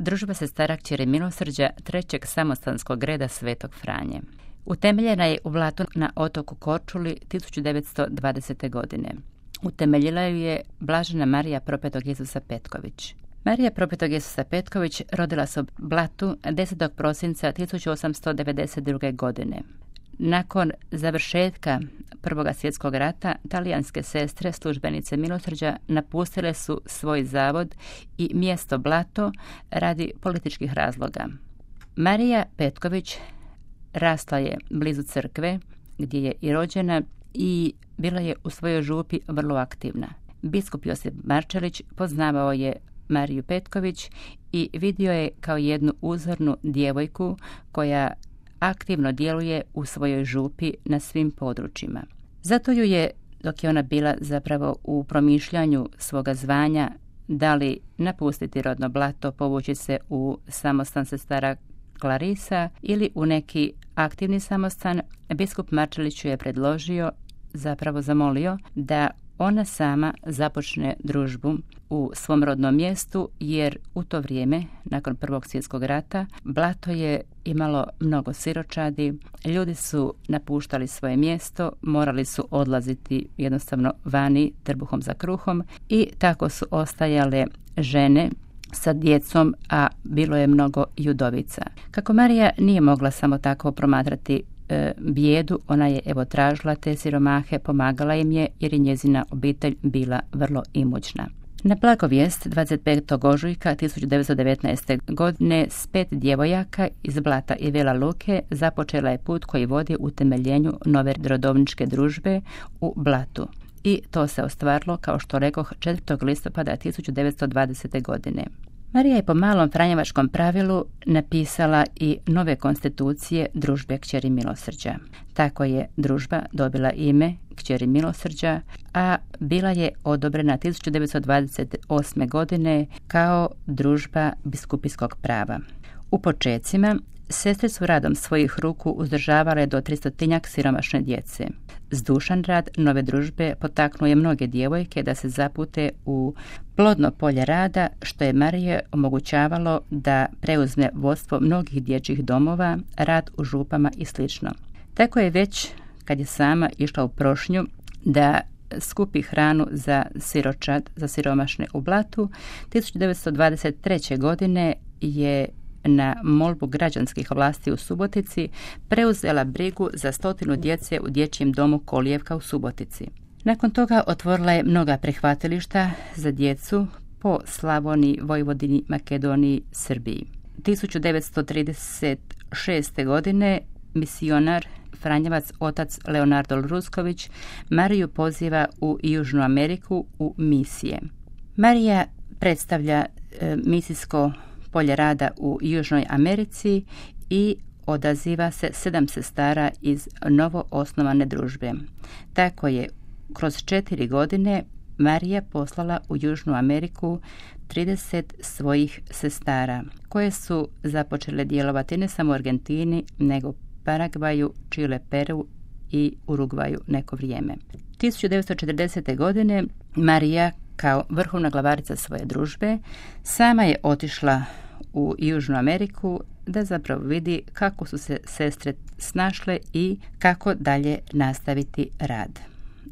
družba sestara kćeri milosrđa trećeg samostanskog reda Svetog Franje. Utemeljena je u Blatu na otoku Korčuli 1920. godine. Utemeljila ju je blažena Marija Propetog Isusa Petković. Marija Propetog Isusa Petković rodila se u Blatu 10. prosinca 1892. godine. Nakon završetka Prvog svjetskog rata, talijanske sestre, službenice milosrđa, napustile su svoj zavod i mjesto Blato radi političkih razloga. Marija Petković rasla je blizu crkve, gdje je i rođena, i bila je u svojoj župi vrlo aktivna. Biskup Josip Marčelić poznavao je Mariju Petković i vidio je kao jednu uzornu djevojku koja aktivno djeluje u svojoj župi na svim područjima. Zato ju je, dok je ona bila zapravo u promišljanju svoga zvanja, da li napustiti rodno Blato, povući se u samostan sestara Klarisa ili u neki aktivni samostan, biskup Marčelić ju je predložio, zapravo zamolio, da ona sama započne družbu u svom rodnom mjestu, jer u to vrijeme, nakon Prvog svjetskog rata, Blato je imalo mnogo siročadi, ljudi su napuštali svoje mjesto, morali su odlaziti jednostavno vani trbuhom za kruhom i tako su ostajale žene sa djecom, a bilo je mnogo i udovica. Kako Marija nije mogla samo tako promatrati bijedu, ona je tražila te siromahe, pomagala im je, jer je njezina obitelj bila vrlo imućna. Na blagovijest 25. ožujka 1919. godine s 5 djevojaka iz Blata i Vela Luke započela je put koji vodi utemeljenju nove rodovničke družbe u Blatu. I to se ostvarilo, kao što rekoh, 4. listopada 1920. godine. Marija je po malom franjevačkom pravilu napisala i nove konstitucije družbe kćeri milosrđa. Tako je družba dobila ime kćeri milosrđa, a bila je odobrena 1928. godine kao družba biskupijskog prava. U počecima sestre su radom svojih ruku uzdržavale do 300 siromašne djece. Zdušan rad nove družbe potaknuo je mnoge djevojke da se zapute u plodno polje rada, što je Marije omogućavalo da preuzme vodstvo mnogih dječjih domova, rad u župama i sl. Tako je već, kad je sama išla u prošnju da skupi hranu za siročad, za siromašne u Blatu, 1923. godine je na molbu građanskih vlasti u Subotici preuzela brigu za 100 djece u dječjem domu Kolijevka u Subotici. Nakon toga otvorila je mnoga prihvatilišta za djecu po Slavoniji, Vojvodini, Makedoniji, Srbiji. 1936. godine misionar franjevac otac Leonardo Rusković Mariju poziva u Južnu Ameriku u misije. Marija predstavlja misijsko polje rada u Južnoj Americi i odaziva se 7 sestara iz novo osnovane družbe. Tako je kroz 4 godine Marija poslala u Južnu Ameriku 30 svojih sestara, koje su započele djelovati ne samo u Argentini, nego Paragvaju, Čile, Peru i Urugvaju neko vrijeme. 1940. godine Marija, kao vrhovna glavarica svoje družbe, sama je otišla u Južnu Ameriku da zapravo vidi kako su se sestre snašle i kako dalje nastaviti rad.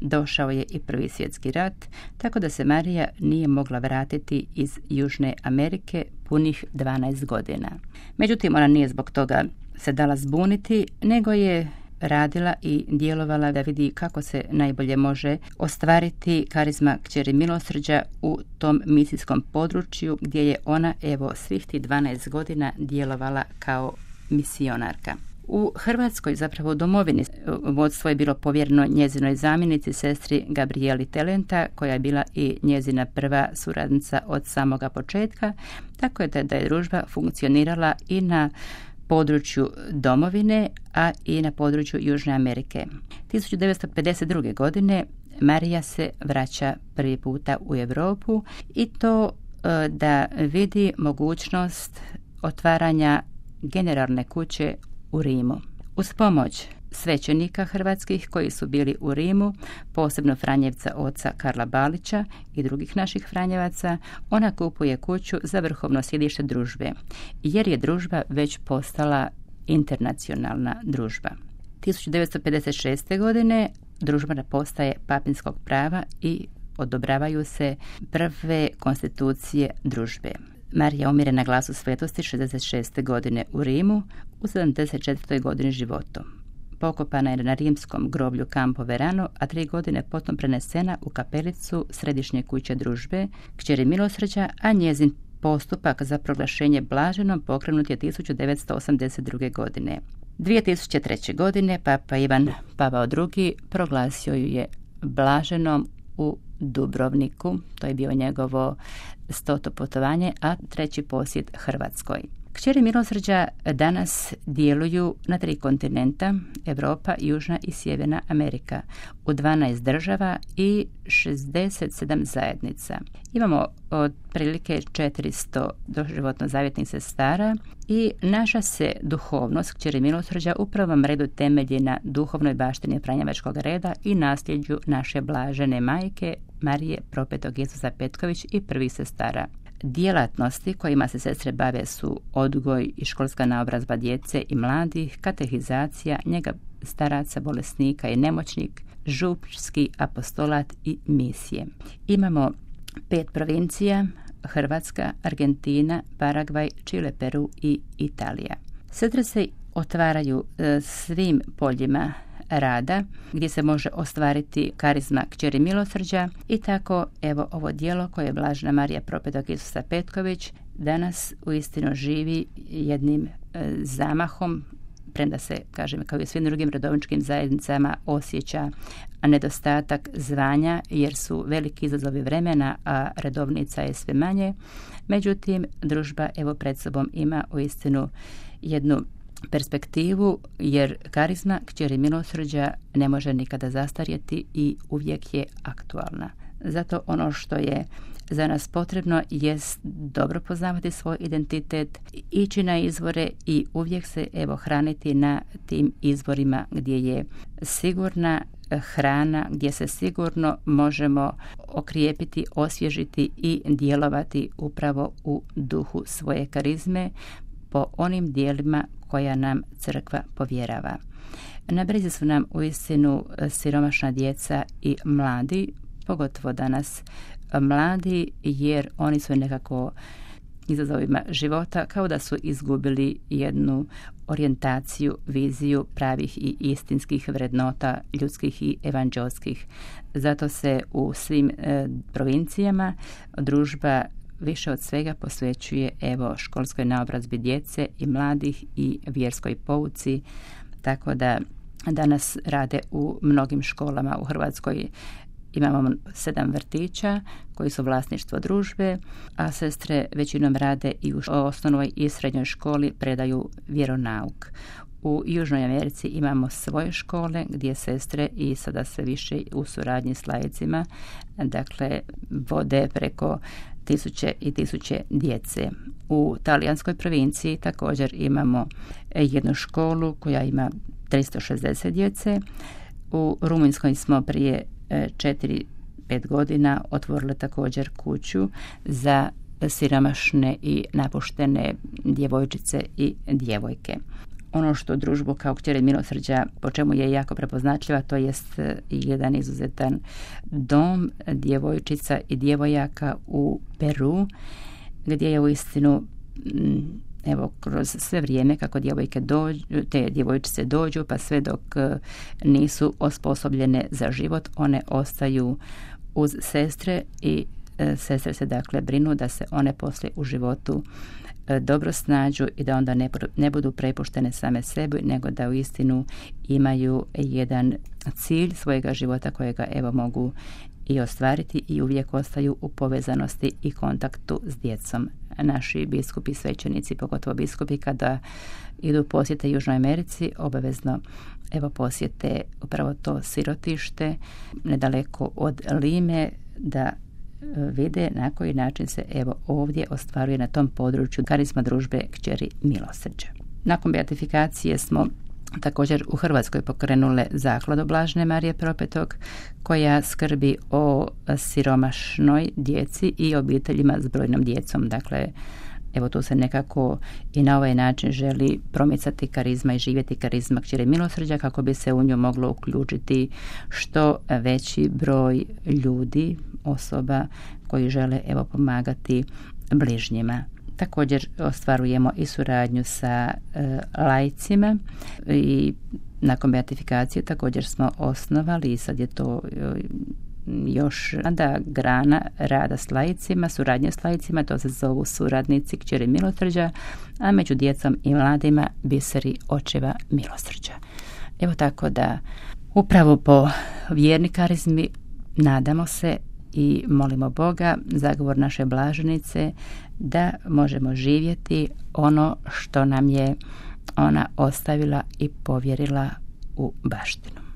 Došao je i Prvi svjetski rat, tako da se Marija nije mogla vratiti iz Južne Amerike punih 12 godina. Međutim, ona nije zbog toga se dala zbuniti, nego je radila i djelovala da vidi kako se najbolje može ostvariti karizma kćeri milosrđa u tom misijskom području, gdje je ona svih tih 12 godina djelovala kao misionarka. U Hrvatskoj, zapravo u domovini, vodstvo je bilo povjereno njezinoj zamjenici, sestri Gabrieli Telenta, koja je bila i njezina prva suradnica od samoga početka, tako je da je družba funkcionirala i na području domovine, a i na području Južne Amerike. 1952. godine Marija se vraća prvi puta u Europu i to da vidi mogućnost otvaranja generalne kuće u Rimu. Uz pomoć svećenika hrvatskih koji su bili u Rimu, posebno Franjevca oca Karla Balića i drugih naših Franjevaca, ona kupuje kuću za vrhovno sjedište družbe, jer je družba već postala internacionalna družba. 1956. godine družba postaje papinskog prava i odobravaju se prve konstitucije družbe. Marija umire na glasu svetosti 66. godine u Rimu u 74. godini života. Pokopana je na rimskom groblju Campo Verano, a 3 godine potom prenesena u kapelicu Središnje kuće družbe, kćeri Milosrđa, a njezin postupak za proglašenje blaženom pokrenut je 1982. godine. 2003. godine Papa Ivan Pavao II. Proglasio ju je blaženom u Dubrovniku, to je bio njegovo 100. putovanje, a 3. posjet Hrvatskoj. Kćeri Milosrđa danas djeluju na 3 kontinenta, Europa, Južna i Sjeverna Amerika, u 12 država i 67 zajednica. Imamo otprilike 400 doživotno zavjetnih sestara i naša se duhovnost kćeri Milosrđa u prvom redu temelji na duhovnoj baštini franjevačkog reda i nasljeđu naše blažene majke Marije Propetog Isusa Petković i prvih sestara. Djelatnosti kojima se sestre bave su odgoj i školska naobrazba djece i mladih, katehizacija, njega staraca, bolesnika i nemoćnik, župski apostolat i misije. Imamo 5 provincija: Hrvatska, Argentina, Paragvaj, Čile, Peru i Italija. Sestre se otvaraju svim poljima rada gdje se može ostvariti karizma kćeri Milosrđa i tako evo ovo djelo koje je blažena Marija Propetog Isusa Petković danas uistinu živi jednim zamahom, premda se, kažem, kao i u svim drugim redovničkim zajednicama osjeća nedostatak zvanja jer su veliki izazovi vremena, a redovnica je sve manje. Međutim, družba evo pred sobom ima uistinu jednu perspektivu, jer karizma kćeri Milosrđa ne može nikada zastarjeti i uvijek je aktualna. Zato ono što je za nas potrebno jest dobro poznavati svoj identitet, ići na izvore i uvijek se evo hraniti na tim izvorima gdje je sigurna hrana, gdje se sigurno možemo okrijepiti, osvježiti i djelovati upravo u duhu svoje karizme po onim dijelima koja nam crkva povjerava. Na brizi su nam uistinu siromašna djeca i mladi, pogotovo danas mladi, jer oni su nekako izazovima života kao da su izgubili jednu orijentaciju, viziju pravih i istinskih vrednota ljudskih i evanđelskih. Zato se u svim provincijama družba više od svega posvećuje evo školskoj naobrazbi djece i mladih i vjerskoj pouci, tako da danas rade u mnogim školama u Hrvatskoj. Imamo 7 vrtića koji su vlasništvo družbe, a sestre većinom rade i u osnovnoj i srednjoj školi, predaju vjeronauk. U Južnoj Americi imamo svoje škole gdje sestre i sada sve više u suradnji s laicima, dakle, vode preko 1000 i 1000 djece. U talijanskoj provinciji također imamo jednu školu koja ima 360 djece. U Rumunjskoj smo prije 4-5 godina otvorili također kuću za siromašne i napuštene djevojčice i djevojke. Ono što družbu kao kćeri Milosrđa, po čemu je jako prepoznatljiva, to jest jedan izuzetan dom djevojčica i djevojaka u Peru, gdje je uistinu evo kroz sve vrijeme kako te djevojčice dođu, pa sve dok nisu osposobljene za život, one ostaju uz sestre i sestre se dakle brinu da se one poslije u životu dobro snađu i da onda ne budu prepuštene same sebi, nego da uistinu imaju jedan cilj svojega života kojega evo mogu i ostvariti i uvijek ostaju u povezanosti i kontaktu s djecom. Naši biskupi, svećenici, pogotovo biskupi, kada idu posjete Južnoj Americi, obavezno evo posjete upravo to sirotište nedaleko od Lime, da vide na koji način se evo ovdje ostvaruje na tom području karizma družbe kćeri Milosrđa. Nakon beatifikacije smo također u Hrvatskoj pokrenule zakladu Blažene Marije Propetog, koja skrbi o siromašnoj djeci i obiteljima s brojnom djecom. Dakle, evo tu se nekako i na ovaj način želi promicati karizma i živjeti karizma Kćeri milosrđa, kako bi se u nju moglo uključiti što veći broj ljudi, osoba koji žele evo pomagati bližnjima. Također ostvarujemo i suradnju sa laicima i nakon beatifikacije također smo osnovali, i sad je to još grana rada s laicima, suradnje s laicima, to se zovu suradnici Kćeri milosrđa, a među djecom i mladima biseri očeva milosrđa. Evo tako da upravo po vjerni karizmi nadamo se i molimo Boga, zagovor naše blaženice, da možemo živjeti ono što nam je ona ostavila i povjerila u baštinu.